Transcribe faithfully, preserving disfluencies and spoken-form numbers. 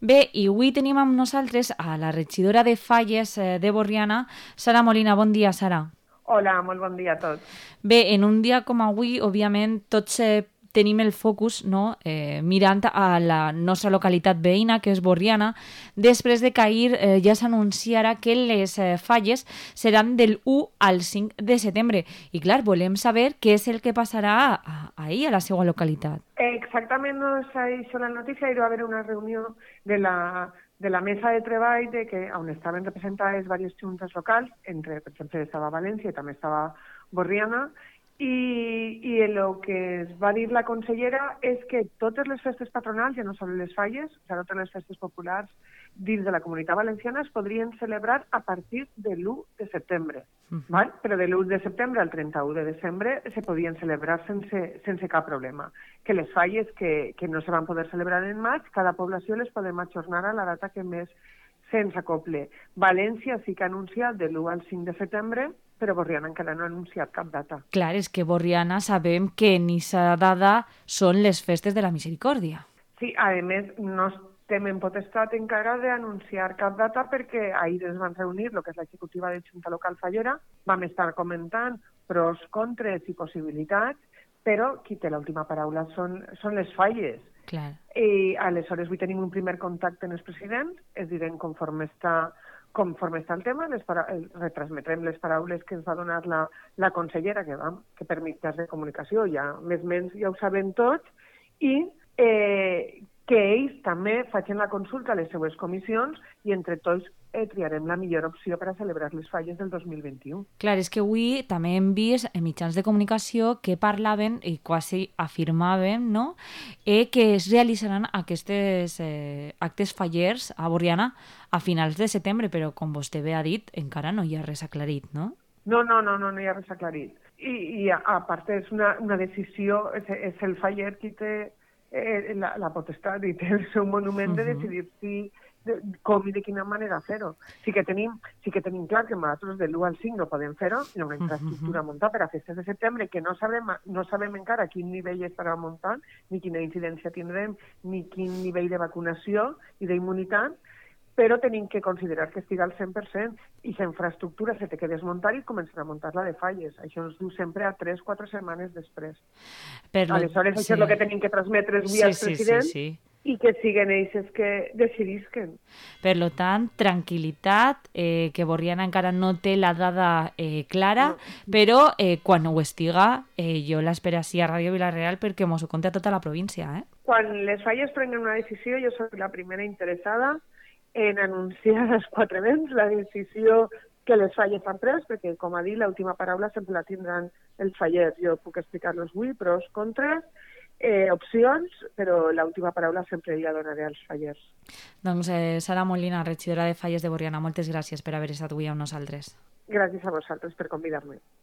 Bé, i avui tenim amb nosaltres a la regidora de Falles eh, de Borriana, Sara Molina. Bon dia, Sara. Hola, molt bon dia a tots. Bé, en un dia com avui, òbviament, tots eh, tenim el focus, no?, eh, mirant a la nostra localitat veïna, que és Borriana, després de que ahir eh, ja s'anunciara que les eh, falles seran del u al cinc de setembre. I clar, volem saber què és el que passarà a, ahir a la seva localitat. Exactament no s'ha dit la notícia, hi va haver una reunió de la, de la mesa de treball de que, on estaven representades diverses juntes locals, entre, per exemple, estava València i també estava Borriana, i, i el que es va dir la consellera és que totes les festes patronals, ja no són les falles, o sigui, totes les festes populars dins de la Comunitat Valenciana es podrien celebrar a partir de l'u de setembre. Uh -huh. Val? Però de l'u de setembre al trenta-u de desembre se podien celebrar sense, sense cap problema. Que les falles que, que no se van poder celebrar en maig, cada població les podem ajornar a la data que més se'ns acople. València sí que ha anunciat de l'u al cinc de setembre, però Borriana encara no ha anunciat cap data. Clar, és que Borriana sabem que en aquesta data són les festes de la Misericòrdia. Sí, a més, no estem en potestat encara d'anunciar cap data perquè ahir ens van reunir, el que és l'executiva de Junta Local Fallera, vam estar comentant pros, contres i possibilitats, però qui té l'última paraula són, són les falles. Clar. I aleshores avui tenim un primer contacte amb els presidents, es direm conforme està conforme està el tema, les para... retransmetrem les paraules que ens va donar la, la consellera, que, vam, que per mitjans de comunicació ja més o menys ja ho sabem tots, i eh, que ells també facin la consulta a les seues comissions i entre tots eh, triarem la millor opció per a celebrar les falles del dos mil vint-i-u. Clar, és que avui també hem vist en mitjans de comunicació que parlaven i quasi afirmaven, no?, eh, que es realitzaran aquests eh, actes fallers a Borriana a finals de setembre, però com vostè bé ha dit, encara no hi ha res aclarit, no? No, no, no, no, no hi ha res aclarit. I, i a, a part és una, una decisió, és, és el faller qui té eh, la, la potestat i té el seu monument uh -huh. de decidir si, de, com i de quina manera fer-ho. Sí que tenim, sí que tenim clar que nosaltres de l'u al cinc no podem fer-ho, hi ha una infraestructura uh -huh. muntada per a festes de setembre que no sabem, no sabem encara a quin nivell estarà muntant, ni quina incidència tindrem, ni quin nivell de vacunació i d'immunitat, però tenim que considerar que estigui al cent per cent i la infraestructura se té que desmuntar i començar a muntar-la de falles. Això ens du sempre a tres o quatre setmanes després. Per lo... Aleshores, sí. això és el que tenim que transmetre via sí, als sí, presidents sí, sí. i que siguen ells que decidisquen. Per lo tant, tranquil·litat, eh, que Borriana encara no té la dada eh, clara, no. però eh, quan ho estiga, eh, jo l'espero així a Ràdio Vila-real perquè mos ho conta tota la província. Eh? Quan les falles prenguen una decisió, jo soc la primera interessada en anunciar als quatre vents la decisió que les falles han pres, perquè, com ha dit, l'última paraula sempre la tindran els fallers. Jo puc explicar-los avui, pros, contres, eh, opcions, però l'última paraula sempre la donaré als fallers. Doncs eh, Sara Molina, regidora de Falles de Borriana, moltes gràcies per haver estat avui amb nosaltres. Gràcies a vosaltres per convidar-me.